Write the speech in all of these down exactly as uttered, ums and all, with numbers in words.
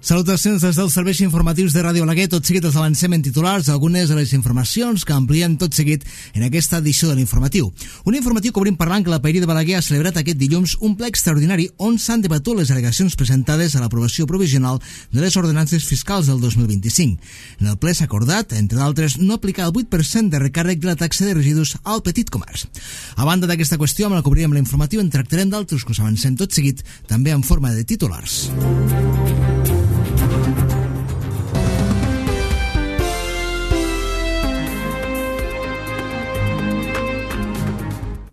Salutacions des dels serveis informatius de Ràdio Balaguer. Tot seguit els avancem en titulars algunes de les informacions que ampliem tot seguit en aquesta edició de l'informatiu. Un informatiu que obrim parlant que la Paeria de Balaguer ha celebrat aquest dilluns un ple extraordinari on s'han debatut les al·legacions presentades a l'aprovació provisional de les ordenances fiscals del dos mil vint-i-cinc. En el ple s'ha acordat, entre d'altres, no aplicar el vuit per cent de recàrrec de la taxa de residus al petit comerç. A banda d'aquesta qüestió, amb la que obrirem l'informatiu, en tractarem d'altres que us avancem tot seguit, també en forma de titulars.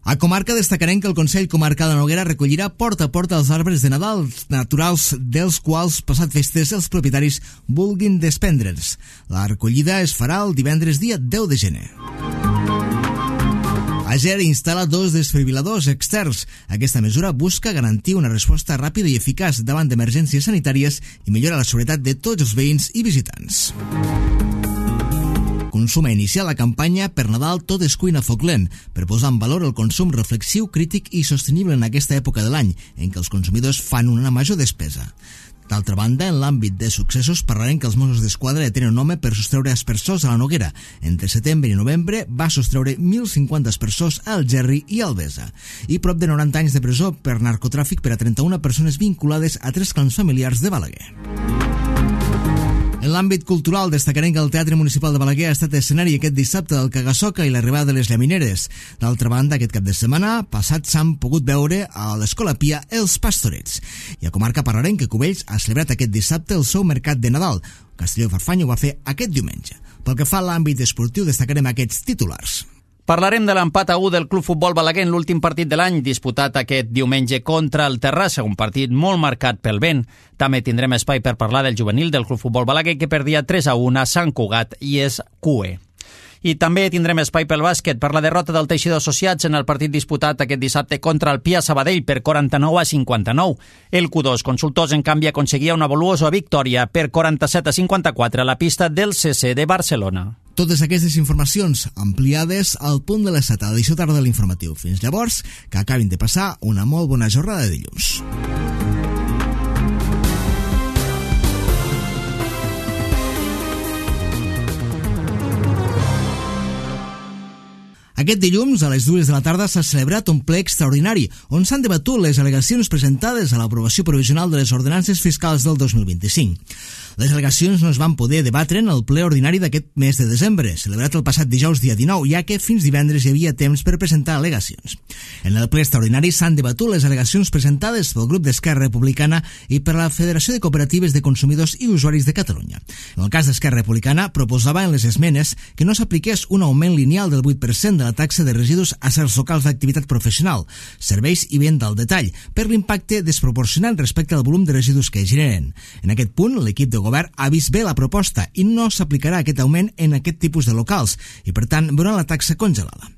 A comarca destacarem que el Consell Comarcal de Noguera recollirà porta a porta els arbres de Nadal naturals dels quals, passat festes, els propietaris vulguin desprendre'ls. La recollida es farà el divendres dia deu de gener. Ager instal·la dos desfibriladors externs. Aquesta mesura busca garantir una resposta ràpida i eficaç davant d'emergències sanitàries i millora la seguretat de tots els veïns i visitants. Consum ha iniciat la campanya Per Nadal tot és cuina foc lent, per posar en valor el consum reflexiu, crític i sostenible en aquesta època de l'any, en què els consumidors fan una major despesa. D'altra banda, en l'àmbit de successos parlarem que els Mossos d'Esquadra detenen un home per sostreure aspersors a la Noguera. Entre setembre i novembre va sostreure mil cinquanta aspersors a Algerri i Albesa. I prop de noranta anys de presó per narcotràfic per a trenta-una persones vinculades a tres clans familiars de Balaguer. En l'àmbit cultural destacarem que el Teatre Municipal de Balaguer ha estat escenari aquest dissabte del Cagassoca i l'arribada de les llamineres. D'altra banda, aquest cap de setmana passat s'han pogut veure a l'Escola Pia els Pastorets. I a comarca parlarem que Cubells ha celebrat aquest dissabte el seu mercat de Nadal. Castelló i Farfanya ho va fer aquest diumenge. Pel que fa a l'àmbit esportiu destacarem aquests titulars. Parlarem de l'empat a u del Club Futbol Balaguer en l'últim partit de l'any, disputat aquest diumenge contra el Terrassa, un partit molt marcat pel vent. També tindrem espai per parlar del juvenil del Club Futbol Balaguer, que perdia tres a u a Sant Cugat i és Q E. I també tindrem espai pel bàsquet per la derrota del Teixidor Associats en el partit disputat aquest dissabte contra el Pia Sabadell per quaranta-nou a cinquanta-nou. El Q dos Consultors, en canvi, aconseguia una valuosa victòria per quaranta-set a cinquanta-quatre a la pista del C C de Barcelona. Totes aquestes informacions ampliades al punt de les set a l'edició tarda de l'informatiu. Fins llavors, que acabin de passar una molt bona jornada de dilluns. Aquest dilluns, a les dues de la tarda, s'ha celebrat un ple extraordinari on s'han debatut les al·legacions presentades a l'aprovació provisional de les ordenances fiscals del dos mil vint-i-cinc. Les al·legacions no es van poder debatre en el ple ordinari d'aquest mes de desembre, celebrat el passat dijous dia dinou, ja que fins divendres hi havia temps per presentar al·legacions. En el ple extraordinari s'han debatut les al·legacions presentades pel grup d'Esquerra Republicana i per la Federació de Cooperatives de Consumidors i Usuaris de Catalunya. En el cas d'Esquerra Republicana, proposava en les esmenes que no s'apliqués un augment lineal del vuit per cent de la taxa de residus a certs locals d'activitat professional, serveis i venda al detall, per l'impacte desproporcionat respecte al volum de residus que generen. En aquest punt, l'equip de govern ha vist bé la proposta i no s'aplicarà aquest augment en aquest tipus de locals i, per tant, veuran la taxa congelada.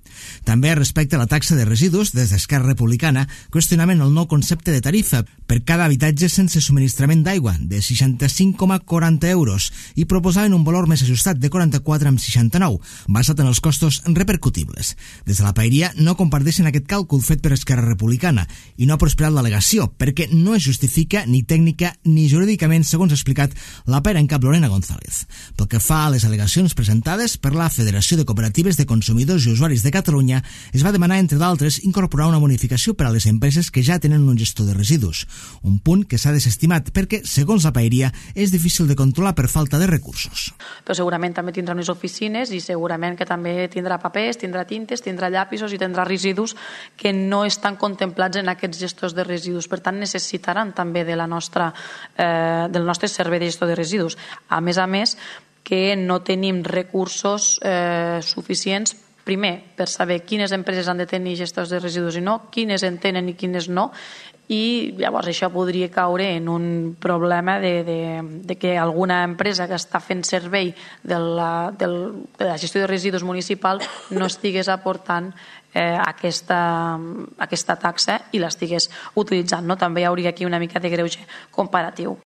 També respecte a la taxa de residus, des d'Esquerra Republicana, qüestionaven el nou concepte de tarifa per cada habitatge sense subministrament d'aigua, de seixanta-cinc coma quaranta euros, i proposaven un valor més ajustat de quaranta-quatre coma seixanta-nou, basat en els costos repercutibles. Des de la Paeria no comparteixen aquest càlcul fet per Esquerra Republicana i no ha prosperat l'al·legació, perquè no es justifica ni tècnica ni jurídicament, segons ha explicat la pera en cap Lorena González. Pel que fa a les al·legacions presentades per la Federació de Cooperatives de Consumidors i Usuaris de Catalunya, es va demanar, entre d'altres, incorporar una bonificació per a les empreses que ja tenen un gestor de residus, un punt que s'ha desestimat perquè, segons la Paeria, és difícil de controlar per falta de recursos. Però segurament també tindrà unes oficines i segurament que també tindrà papers, tindrà tintes, tindrà llapisos i tindrà residus que no estan contemplats en aquests gestors de residus. Per tant, necessitaran també de la nostra, eh, del nostre servei de gestor de residus. A més a més, que no tenim recursos eh, suficients, primer, per saber quines empreses han de tenir gestors de residus i no, quines en tenen i quines no, i llavors això podria caure en un problema de, de, de que alguna empresa que està fent servei de la, del, de la gestió de residus municipal no estigués aportant eh, aquesta, aquesta taxa i l'estigués utilitzant. No? També hi hauria aquí una mica de greuge comparatiu.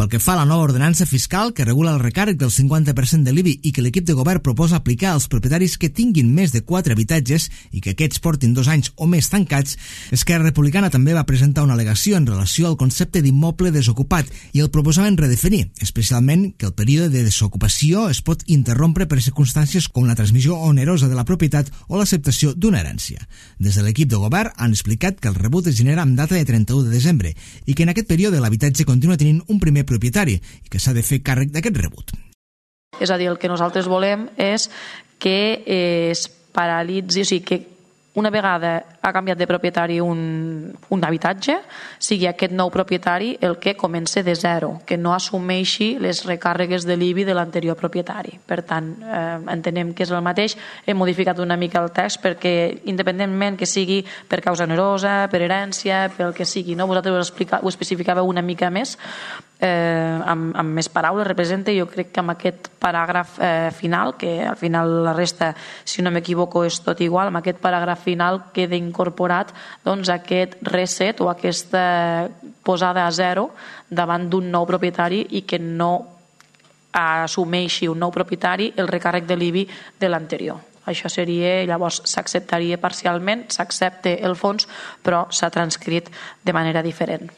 Pel que fa a la nova ordenança fiscal que regula el recàrrec del cinquanta per cent de l'I B I i que l'equip de govern proposa aplicar als propietaris que tinguin més de quatre habitatges i que aquests portin dos anys o més tancats, Esquerra Republicana també va presentar una al·legació en relació al concepte d'immoble desocupat i el proposaven redefinir, especialment que el període de desocupació es pot interrompre per circumstàncies com la transmissió onerosa de la propietat o l'acceptació d'una herència. Des de l'equip de govern han explicat que el rebut es genera amb data de trenta-u de desembre i que en aquest període l'habitatge continua tenint un primer propietari i que s'ha de fer càrrec d'aquest rebut. És a dir, el que nosaltres volem és que es paralitzi, o sigui, que una vegada ha canviat de propietari un, un habitatge, sigui aquest nou propietari el que comença de zero, que no assumeixi les recàrregues de l'I B I de l'anterior propietari. Per tant, eh, entenem que és el mateix. Hem modificat una mica el text perquè, independentment que sigui per causa onerosa, per herència, pel que sigui, no? Vosaltres ho, explica, ho especificàveu una mica més, eh, amb, amb més paraules, representa. Jo crec que amb aquest paràgraf eh, final, que al final la resta, si no m'equivoco, és tot igual, amb aquest paràgraf final queda incorporat doncs, aquest reset o aquesta posada a zero davant d'un nou propietari i que no assumeixi un nou propietari el recàrrec de l'I B I de l'anterior. Això seria, llavors s'acceptaria parcialment, s'accepta el fons, però s'ha transcrit de manera diferent.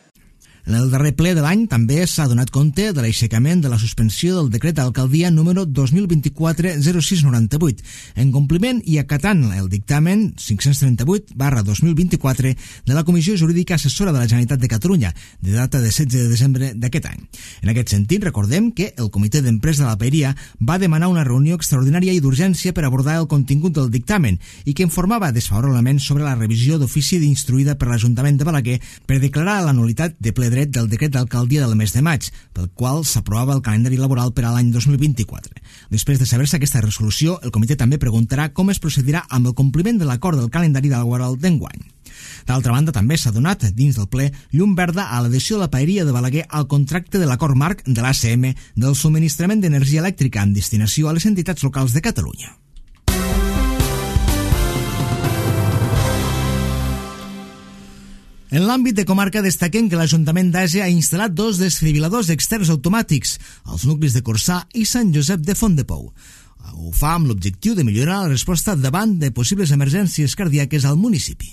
En el darrer ple de l'any també s'ha donat compte de l'aixecament de la suspensió del decret d'alcaldia número dos mil vint-i-quatre zero sis noranta-vuit, en compliment i acatant el dictamen cinc-cents trenta-vuit barra dos mil vint-i-quatre de la Comissió Jurídica Assessora de la Generalitat de Catalunya, de data de setze de desembre d'aquest any. En aquest sentit, recordem que el Comitè d'Empresa de la Paeria va demanar una reunió extraordinària i d'urgència per abordar el contingut del dictamen i que informava desfavorablement sobre la revisió d'ofici instruïda per l'Ajuntament de Balaguer per declarar la nul·litat de ple dret del decret d'alcaldia del mes de maig, pel qual s'aprovava el calendari laboral per a l'any dos mil vint-i-quatre. Després de saber-se aquesta resolució, el comitè també preguntarà com es procedirà amb el compliment de l'acord del calendari laboral d'enguany. D'altra banda, també s'ha donat, dins del ple, llum verda a l'adhesió de la Paeria de Balaguer al contracte de l'acord marc de l'A C M del subministrament d'energia elèctrica amb destinació a les entitats locals de Catalunya. En l'àmbit de comarca destaquem que l'Ajuntament d'Ase ha instal·lat dos desfibriladors externs automàtics als nuclis de Corçà i Sant Josep de Fontdepou. Ho fa amb l'objectiu de millorar la resposta davant de possibles emergències cardíaques al municipi.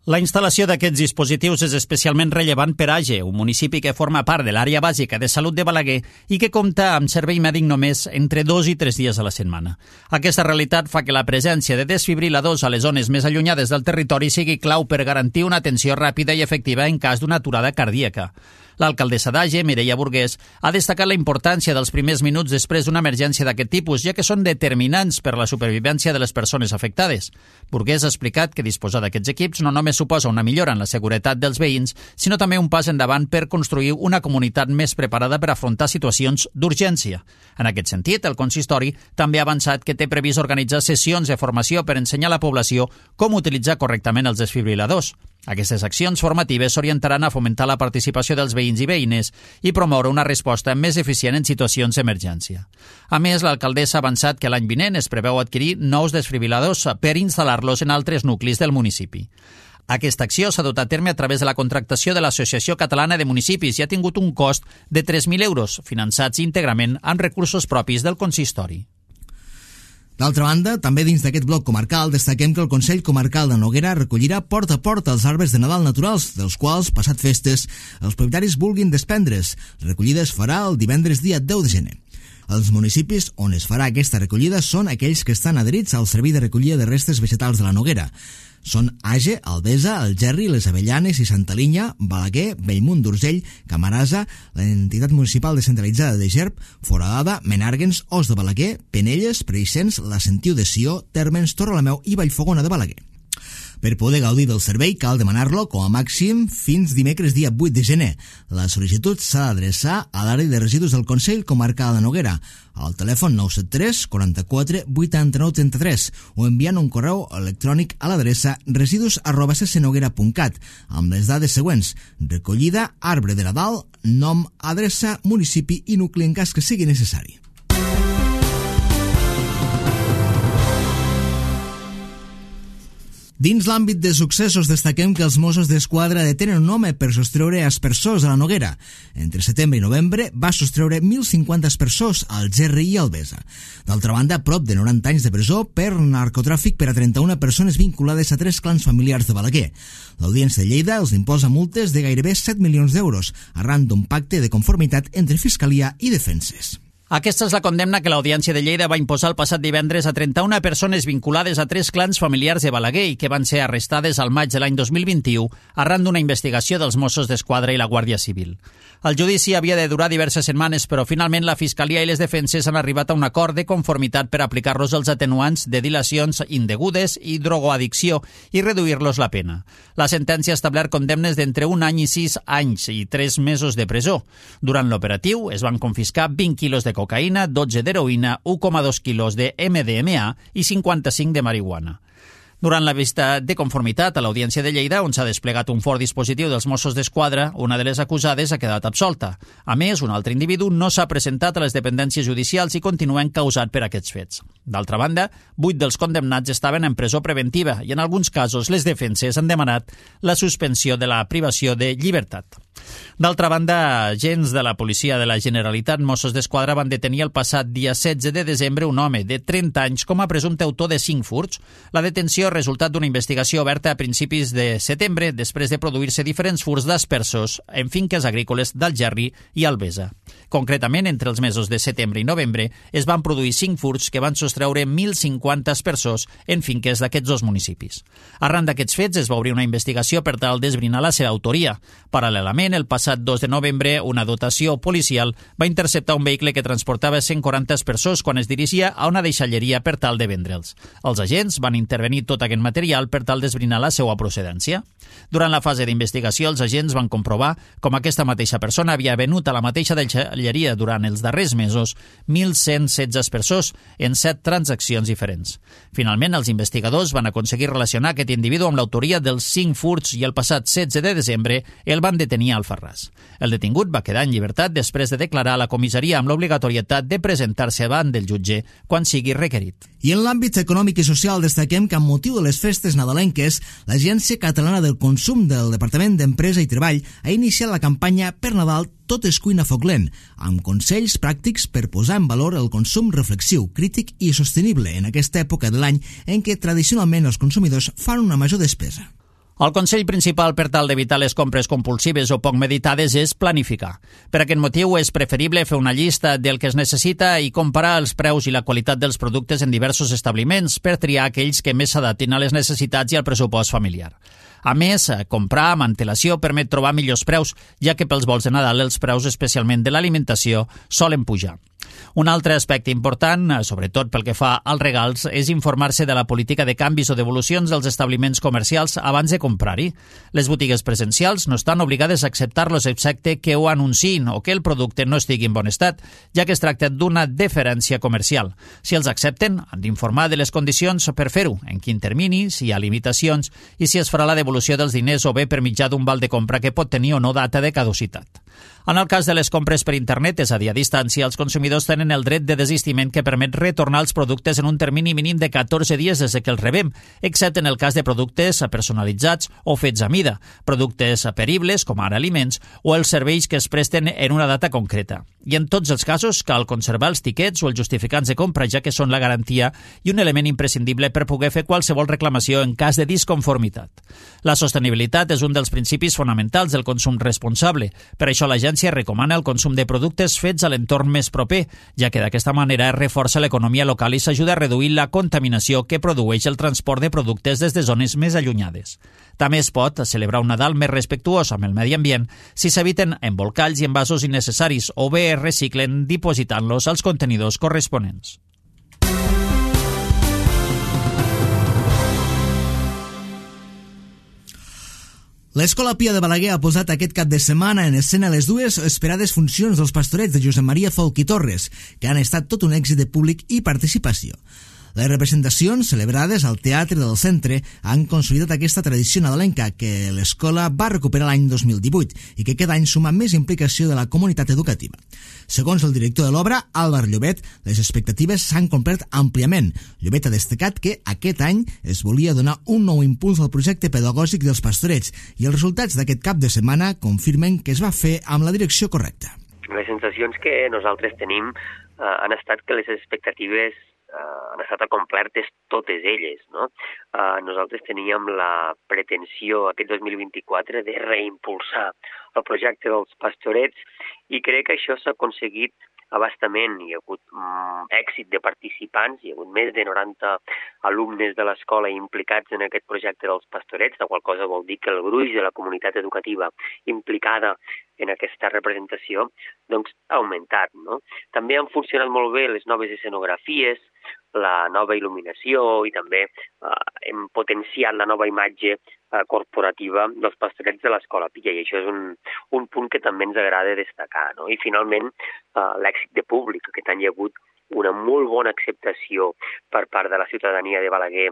La instal·lació d'aquests dispositius és especialment rellevant per Age, un municipi que forma part de l'àrea bàsica de salut de Balaguer i que compta amb servei mèdic només entre dos i tres dies a la setmana. Aquesta realitat fa que la presència de desfibriladors a les zones més allunyades del territori sigui clau per garantir una atenció ràpida i efectiva en cas d'una aturada cardíaca. L'alcaldessa d'Age, Mireia Burgués, ha destacat la importància dels primers minuts després d'una emergència d'aquest tipus, ja que són determinants per la supervivència de les persones afectades. Burgués ha explicat que disposar d'aquests equips no només suposa una millora en la seguretat dels veïns, sinó també un pas endavant per construir una comunitat més preparada per afrontar situacions d'urgència. En aquest sentit, el consistori també ha avançat que té previst organitzar sessions de formació per ensenyar a la població com utilitzar correctament els desfibriladors. Aquestes accions formatives s'orientaran a fomentar la participació dels veïns i veïnes i promoure una resposta més eficient en situacions d'emergència. A més, l'alcaldessa ha avançat que l'any vinent es preveu adquirir nous desfibriladors per instal·lar-los en altres nuclis del municipi. Aquesta acció s'ha dut a terme a través de la contractació de l'Associació Catalana de Municipis i ha tingut un cost de tres mil euros, finançats íntegrament amb recursos propis del consistori. D'altra banda, també dins d'aquest bloc comarcal destaquem que el Consell Comarcal de Noguera recollirà porta a porta els arbres de Nadal naturals, dels quals, passat festes, els propietaris vulguin desprendre's. La recollida es farà el divendres dia deu de gener. Els municipis on es farà aquesta recollida són aquells que estan adherits al Servei de Recollida de Restes Vegetals de la Noguera. Són Age, Albesa, Algerri, Les Avellanes i Santa Linya, Balaguer, Bellmunt d'Urgell, Camarasa, l'entitat municipal descentralitzada de Gerb, Foradada, Menàrguens, Os de Balaguer, Penelles, Preixens, la Sentiu de Sió, Térmens, Torrelameu i Vallfogona de Balaguer. Per poder gaudir del servei cal demanar-lo com a màxim fins dimecres dia vuit de gener. La sol·licitud s'ha d'adreçar a l'àrea de residus del Consell Comarcal de Noguera al telèfon nou set tres quaranta-quatre vuitanta-nou trenta-tres o enviant un correu electrònic a l'adreça residus arroba ccnoguera punt cat amb les dades següents: recollida, arbre de Nadal, nom, adreça, municipi i nucli en cas que sigui necessari. Dins l'àmbit de successos destaquem que els Mossos d'Esquadra detenen un home per sostreure aspersors a la Noguera. Entre setembre i novembre va sostreure mil cinquanta aspersors al Gerri i al Besa. D'altra banda, prop de noranta anys de presó per narcotràfic per a trenta-una persones vinculades a tres clans familiars de Balaguer. L'Audiència de Lleida els imposa multes de gairebé set milions d'euros, arran d'un pacte de conformitat entre Fiscalia i Defenses. Aquesta és la condemna que l'Audiència de Lleida va imposar el passat divendres a trenta-una persones vinculades a tres clans familiars de Balaguer i que van ser arrestades al maig de l'any dos mil vint-i-u arran d'una investigació dels Mossos d'Esquadra i la Guàrdia Civil. El judici havia de durar diverses setmanes, però finalment la Fiscalia i les defenses han arribat a un acord de conformitat per aplicar-los els atenuants de dilacions indegudes i drogoaddicció i reduir-los la pena. La sentència ha establert condemnes d'entre un any i sis anys i tres mesos de presó. Durant l'operatiu es van confiscar vint quilos de cocaïna, dotze d'heroïna, u coma dos quilos de eme de eme a i cinquanta-cinc de marihuana. Durant la vista de conformitat a l'Audiència de Lleida, on s'ha desplegat un fort dispositiu dels Mossos d'Esquadra, una de les acusades ha quedat absolta. A més, un altre individu no s'ha presentat a les dependències judicials i continua encausat per aquests fets. D'altra banda, vuit dels condemnats estaven en presó preventiva i en alguns casos les defenses han demanat la suspensió de la privació de llibertat. D'altra banda, agents de la policia de la Generalitat Mossos d'Esquadra van detenir el passat dia setze de desembre un home de trenta anys com a presumpte autor de cinc furts. La detenció ha resultat d'una investigació oberta a principis de setembre després de produir-se diferents furts d'aspersors en finques agrícoles del Gerri i el Besa. Concretament, entre els mesos de setembre i novembre es van produir cinc furts que van sostreure mil cinquanta aspersors en finques d'aquests dos municipis. Arran d'aquests fets es va obrir una investigació per tal d'esbrinar la seva autoria. Paral·lelament, el passat dos de novembre, una dotació policial va interceptar un vehicle que transportava cent quaranta aspersors quan es dirigia a una deixalleria per tal de vendre'ls. Els agents van intervenir tot aquest material per tal d'esbrinar la seva procedència. Durant la fase d'investigació, els agents van comprovar com aquesta mateixa persona havia venut a la mateixa deixalleria durant els darrers mesos mil cent setze aspersors en set transaccions diferents. Finalment, els investigadors van aconseguir relacionar aquest individu amb l'autoria dels cinc furts i el passat setze de desembre el van detenir al Alfarràs. El detingut va quedar en llibertat després de declarar a la comissaria amb l'obligatorietat de presentar-se davant del jutge quan sigui requerit. I en l'àmbit econòmic i social destaquem que amb motiu de les festes nadalenques, l'Agència Catalana del Consum del Departament d'Empresa i Treball ha iniciat la campanya Per Nadal Tot és cuina foc lent, amb consells pràctics per posar en valor el consum reflexiu, crític i sostenible en aquesta època de l'any en què tradicionalment els consumidors fan una major despesa. El consell principal per tal d'evitar les compres compulsives o poc meditades és planificar. Per aquest motiu és preferible fer una llista del que es necessita i comparar els preus i la qualitat dels productes en diversos establiments per triar aquells que més s'adaptin a les necessitats i al pressupost familiar. A més, comprar amb antelació permet trobar millors preus, ja que pels vols de Nadal els preus, especialment de l'alimentació, solen pujar. Un altre aspecte important, sobretot pel que fa als regals, és informar-se de la política de canvis o devolucions dels establiments comercials abans de comprar-hi. Les botigues presencials no estan obligades a acceptar-los excepte que ho anunciïn o que el producte no estigui en bon estat, ja que es tracta d'una deferència comercial. Si els accepten, han d'informar de les condicions per fer-ho, en quin termini, si hi ha limitacions i si es farà la devolució dels diners o bé per mitjà d'un val de compra que pot tenir o no data de caducitat. En el cas de les compres per internet, és a dir, a distància, els consumidors tenen el dret de desistiment que permet retornar els productes en un termini mínim de catorze dies des que els rebem, excepte en el cas de productes personalitzats o fets a mida, productes peribles, com ara aliments, o els serveis que es presten en una data concreta. I en tots els casos cal conservar els tiquets o els justificants de compra, ja que són la garantia i un element imprescindible per poder fer qualsevol reclamació en cas de disconformitat. La sostenibilitat és un dels principis fonamentals del consum responsable. Per això l'agència recomana el consum de productes fets a l'entorn més proper, ja que d'aquesta manera es reforça l'economia local i s'ajuda a reduir la contaminació que produeix el transport de productes des de zones més allunyades. També es pot celebrar un Nadal més respectuós amb el medi ambient si s'eviten embolcalls i envasos innecessaris o bé es reciclen dipositant-los als contenidors corresponents. L'Escola Pia de Balaguer ha posat aquest cap de setmana en escena les dues esperades funcions dels pastorets de Josep Maria Folch i Torres, que han estat tot un èxit de públic i participació. Les representacions celebrades al Teatre del Centre han consolidat aquesta tradició nadalenca que l'escola va recuperar l'any dos mil divuit i que cada any suma més implicació de la comunitat educativa. Segons el director de l'obra, Álvar Llobet, les expectatives s'han complert àmpliament. Llobet ha destacat que aquest any es volia donar un nou impuls al projecte pedagògic dels Pastorets i els resultats d'aquest cap de setmana confirmen que es va fer amb la direcció correcta. Les sensacions que nosaltres tenim eh, han estat que les expectatives eh, han estat acomplertes totes elles, no? Eh, nosaltres teníem la pretensió aquest dos mil vint-i-quatre de reimpulsar el projecte dels Pastorets i crec que això s'ha aconseguit abastament. Hi ha hagut um, èxit de participants, hi ha hagut més de noranta alumnes de l'escola implicats en aquest projecte dels Pastorets, la qual cosa vol dir que el gruix de la comunitat educativa implicada en aquesta representació doncs, ha augmentat, no? També han funcionat molt bé les noves escenografies, la nova il·luminació i també eh, hem potenciat la nova imatge eh, corporativa dels Pastorets de l'Escola Pia i això és un, un punt que també ens agrada destacar, no? I finalment eh, l'èxit de públic. Aquest any hi ha hagut una molt bona acceptació per part de la ciutadania de Balaguer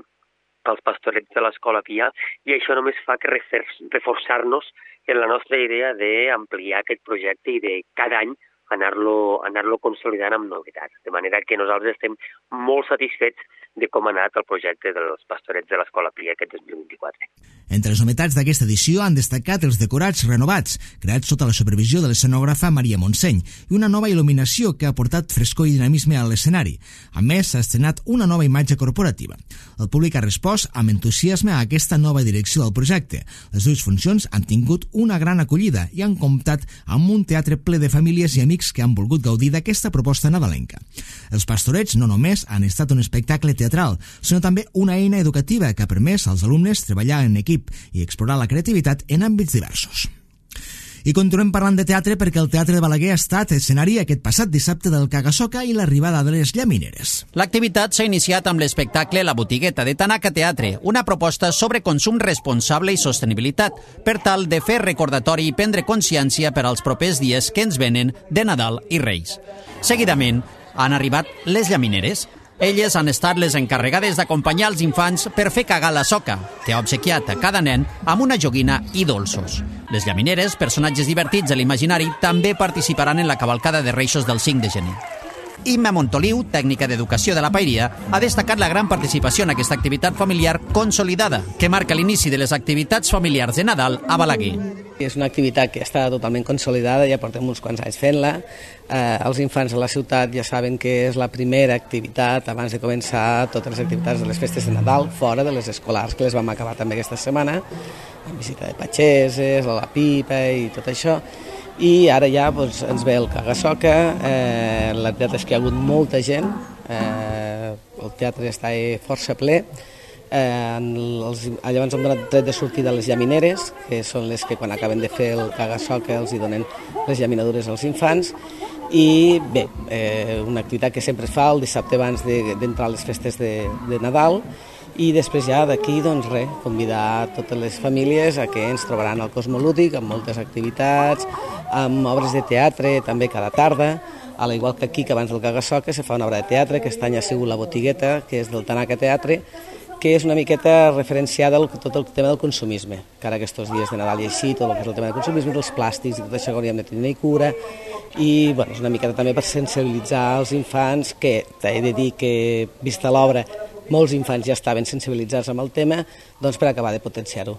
pels Pastorets de l'Escola Pia i això només fa que reforçar-nos en la nostra idea d'ampliar aquest projecte i de cada any anar-lo anar-lo consolidant amb novetats. De manera que nosaltres estem molt satisfets de com ha anat el projecte dels Pastorets de l'Escola Pia aquest dos mil vint-i-quatre. Entre les novetats d'aquesta edició han destacat els decorats renovats, creats sota la supervisió de l'escenògrafa Maria Montseny, i una nova il·luminació que ha portat frescor i dinamisme a l'escenari. A més, s'ha estrenat una nova imatge corporativa. El públic ha respost amb entusiasme a aquesta nova direcció del projecte. Les dues funcions han tingut una gran acollida i han comptat amb un teatre ple de famílies i amics que han volgut gaudir d'aquesta proposta nadalenca. Els Pastorets no només han estat un espectacle teatral, sinó també una eina educativa que ha permès als alumnes treballar en equip i explorar la creativitat en àmbits diversos. I continuem parlant de teatre perquè el Teatre de Balaguer ha estat escenari aquest passat dissabte del Caga-Soca i l'arribada de les llamineres. L'activitat s'ha iniciat amb l'espectacle La Botigueta de Tanaka Teatre, una proposta sobre consum responsable i sostenibilitat, per tal de fer recordatori i prendre consciència per als propers dies que ens venen de Nadal i Reis. Seguidament han arribat les llamineres. Elles han estat les encarregades d'acompanyar els infants per fer cagar la soca, que ha obsequiat a cada nen amb una joguina i dolços. Les llamineres, personatges divertits de l'imaginari, també participaran en la cavalcada de Reixos del cinc de gener. Imma Montoliu, tècnica d'educació de la Paeria, ha destacat la gran participació en aquesta activitat familiar consolidada, que marca l'inici de les activitats familiars de Nadal a Balaguer. És una activitat que està totalment consolidada, ja portem uns quants anys fent-la. Eh, els infants a la ciutat ja saben que és la primera activitat abans de començar totes les activitats de les festes de Nadal, fora de les escolars, que les vam acabar també aquesta setmana, amb visita de patxeses, la pipa i tot això. I ara ja doncs, ens ve el Caga-Soca, eh, la veritat és que hi ha hagut molta gent, eh, el teatre està força ple, eh, els, llavors hem donat dret de sortida a les llamineres, que són les que quan acaben de fer el Caga-Soca els hi donen les llaminadures als infants, i bé, eh, una activitat que sempre es fa el dissabte abans d'entrar a les festes de, de Nadal, i després ja d'aquí, doncs res, convidar totes les famílies a que ens trobaran al Cosmolúdic amb moltes activitats, amb obres de teatre també cada tarda, a l'igual que aquí, que abans del Caga-Soca se fa una obra de teatre, que aquest any ha sigut La Botigueta, que és del Tanaka Teatre, que és una miqueta referenciada a tot el tema del consumisme, que ara aquests dies de Nadal i així, tot el que és el tema del consumisme, dels plàstics i tot això que hauríem de tenir cura, i bueno, és una miqueta també per sensibilitzar els infants, que he de dir que, vista l'obra, molts infants ja estaven sensibilitzats amb el tema, doncs per acabar de potenciar-ho.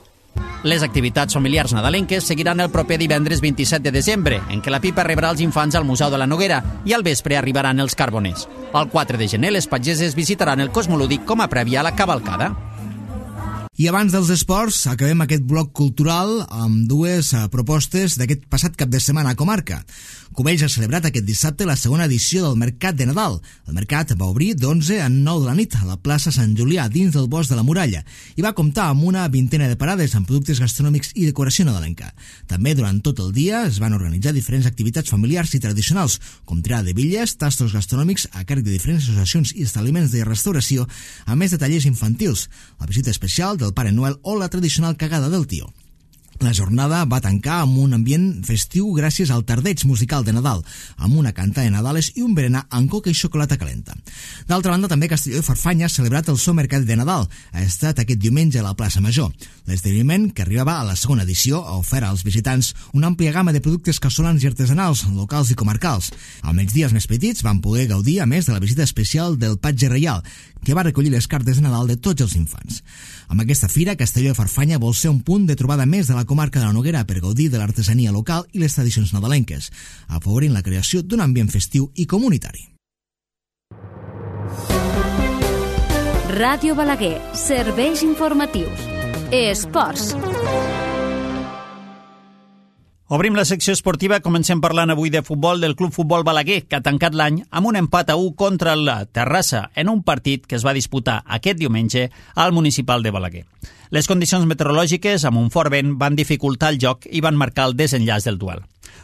Les activitats familiars nadalenques seguiran el proper divendres vint-i-set de desembre, en què la pipa rebrà els infants al Museu de la Noguera i al vespre arribaran els carboners. El quatre de gener les pageses visitaran el Cosmolúdic com a prèvia a la cavalcada. I abans dels esports, acabem aquest bloc cultural amb dues propostes d'aquest passat cap de setmana a comarca. Cubells ha celebrat aquest dissabte la segona edició del Mercat de Nadal. El mercat va obrir d'onze a nou de la nit a la plaça Sant Julià, dins del Bosc de la Muralla, i va comptar amb una vintena de parades amb productes gastronòmics i decoració nadalenca. També durant tot el dia es van organitzar diferents activitats familiars i tradicionals, com tirada de bitlles, tastos gastronòmics a càrrec de diferents associacions i establiments de restauració, a més de tallers infantils, la visita especial del Pare Noel o la tradicional cagada del tio. La jornada va tancar amb un ambient festiu gràcies al tardeig musical de Nadal, amb una canta de Nadales i un berenar amb coca i xocolata calenta. D'altra banda, també Castelló de Farfanya ha celebrat el seu mercat de Nadal. Ha estat aquest diumenge a la plaça Major. L'esdeveniment, que arribava a la segona edició, ha ofert als visitants una àmplia gamma de productes casolans i artesanals, locals i comarcals. Al migdia, els més petits van poder gaudir, a més, de la visita especial del Patge Reial, que va recollir les cartes de Nadal de tots els infants. Amb aquesta fira, Castelló de Farfanya vol ser un punt de trobada més de la comarca de la Noguera per gaudir de l'artesania local i les tradicions nadalenques, afavorint la creació d'un ambient festiu i comunitari. Ràdio Balaguer, serveis informatius. Esports. Obrim la secció esportiva, comencem parlant avui de futbol del Club Futbol Balaguer, que ha tancat l'any amb un empat a u contra la Terrassa en un partit que es va disputar aquest diumenge al municipal de Balaguer. Les condicions meteorològiques, amb un fort vent, van dificultar el joc i van marcar el desenllaç del duel.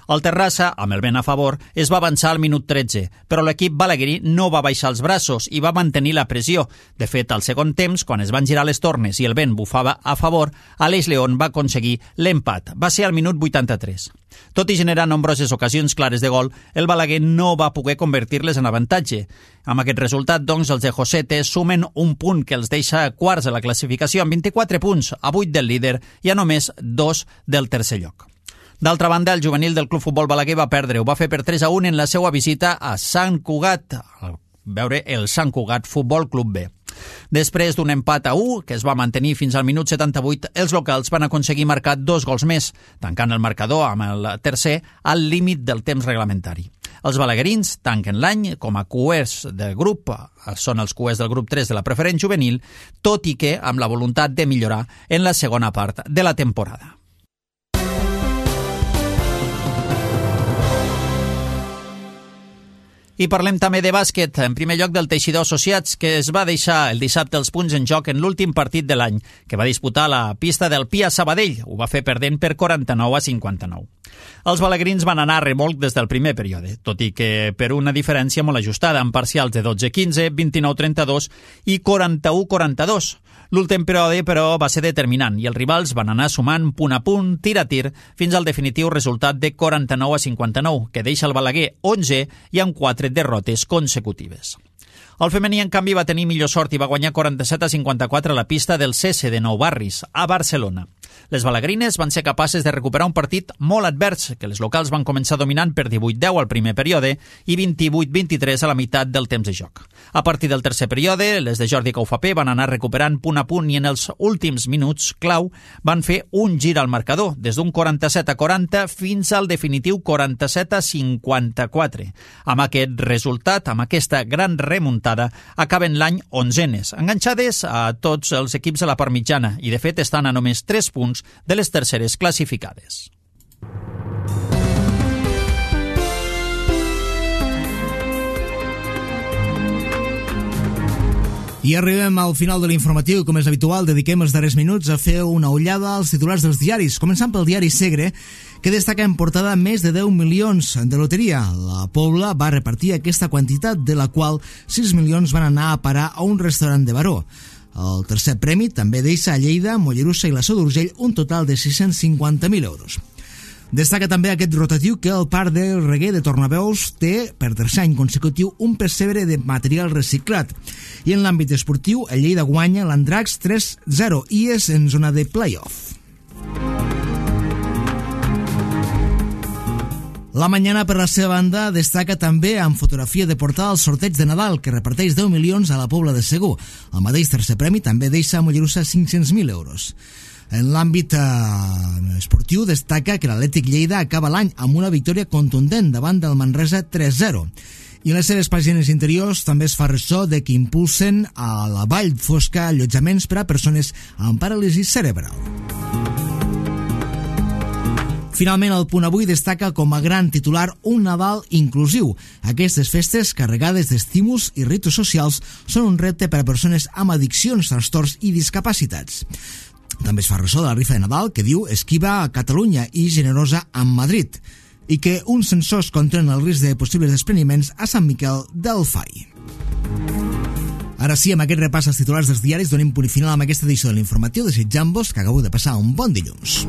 El Terrassa, amb el vent a favor, es va avançar al minut tretze, però l'equip balaguerí no va baixar els braços i va mantenir la pressió. De fet, al segon temps, quan es van girar les tornes i el vent bufava a favor, Aleix León va aconseguir l'empat. Va ser al minut vuitanta-tres. Tot i generar nombroses ocasions clares de gol, el Balaguer no va poder convertir-les en avantatge. Amb aquest resultat, doncs, els de Josete sumen un punt que els deixa quarts a la classificació amb vint-i-quatre punts, a vuit del líder i a només dos del tercer lloc. D'altra banda, el juvenil del Club Futbol Balaguer va perdre. Ho va fer per tres a un en la seva visita a Sant Cugat, a veure el Sant Cugat Futbol Club B. Després d'un empat a u, que es va mantenir fins al minut setanta-vuit, els locals van aconseguir marcar dos gols més, tancant el marcador amb el tercer al límit del temps reglamentari. Els balaguerins tanquen l'any com a cuers del grup, són els cuers del grup tres de la preferent juvenil, tot i que amb la voluntat de millorar en la segona part de la temporada. I parlem també de bàsquet, en primer lloc del Teixidor Associats, que es va deixar el dissabte els punts en joc en l'últim partit de l'any, que va disputar la pista del Pia Sabadell. Ho va fer perdent per quaranta-nou a cinquanta-nou. Els balaguerins van anar a remolc des del primer període, tot i que per una diferència molt ajustada, amb parcials de dotze a quinze, vint-i-nou a trenta-dos i quaranta-u a quaranta-dos. L'últim període, però, va ser determinant i els rivals van anar sumant punt a punt, tir a tir, fins al definitiu resultat de quaranta-nou a cinquanta-nou, que deixa el Balaguer onze i amb quatre derrotes consecutives. El femení, en canvi, va tenir millor sort i va guanyar quaranta-set a cinquanta-quatre a la pista del C S de Nou Barris, a Barcelona. Les balagrines van ser capaces de recuperar un partit molt advers, que les locals van començar dominant per divuit a deu al primer període i vint-i-vuit a vint-i-tres a la meitat del temps de joc. A partir del tercer període, les de Jordi Caufapé van anar recuperant punt a punt i en els últims minuts clau van fer un gir al marcador, des d'un quaranta-set a quaranta fins al definitiu quaranta-set a cinquanta-quatre. Amb aquest resultat, amb aquesta gran remuntada, acaben l'any onzenes, enganxades a tots els equips de la part mitjana i, de fet, estan a només tres punts de les terceres classificades. I arribem al final de l'informatiu i, com és habitual, dediquem els darrers minuts a fer una ullada als titulars dels diaris, començant pel diari Segre, que destaca en portada més de deu milions de loteria. La Pobla va repartir aquesta quantitat, de la qual sis milions van anar a parar a un restaurant de Baró. El tercer premi també deixa a Lleida, Mollerussa i la Seu d'Urgell un total de sis-cents cinquanta mil euros. Destaca també aquest rotatiu que el Parc del Reguer de Tornaveus té, per tercer any consecutiu, un percebre de material reciclat. I en l'àmbit esportiu, el Lleida guanya l'Andrax tres zero i és en zona de play-off. La Mañana, per la seva banda, destaca també amb fotografia de portada el sorteig de Nadal, que reparteix deu milions a la Pobla de Segur. El mateix tercer premi també deixa a Mollerussa cinc-cents mil euros. En l'àmbit eh, esportiu, destaca que l'Atlètic Lleida acaba l'any amb una victòria contundent davant del Manresa tres zero. I en les seves pàgines interiors també es fa ressò de que impulsen a la Vall Fosca allotjaments per a persones amb paràlisi cerebral. Finalment, el Punt Avui destaca com a gran titular un Nadal inclusiu. Aquestes festes, carregades d'estímuls i ritus socials, són un repte per a persones amb addiccions, trastorns i discapacitats. També es fa ressò de la rifa de Nadal, que diu Esquiva a Catalunya i Generosa amb Madrid, i que uns sensors controlen el risc de possibles despreniments a Sant Miquel del Fai. Ara sí, amb aquest repàs als titulars dels diaris, donem punt final amb aquesta edició de l'informatiu, desitjant-vos que acabeu de passar un bon dilluns.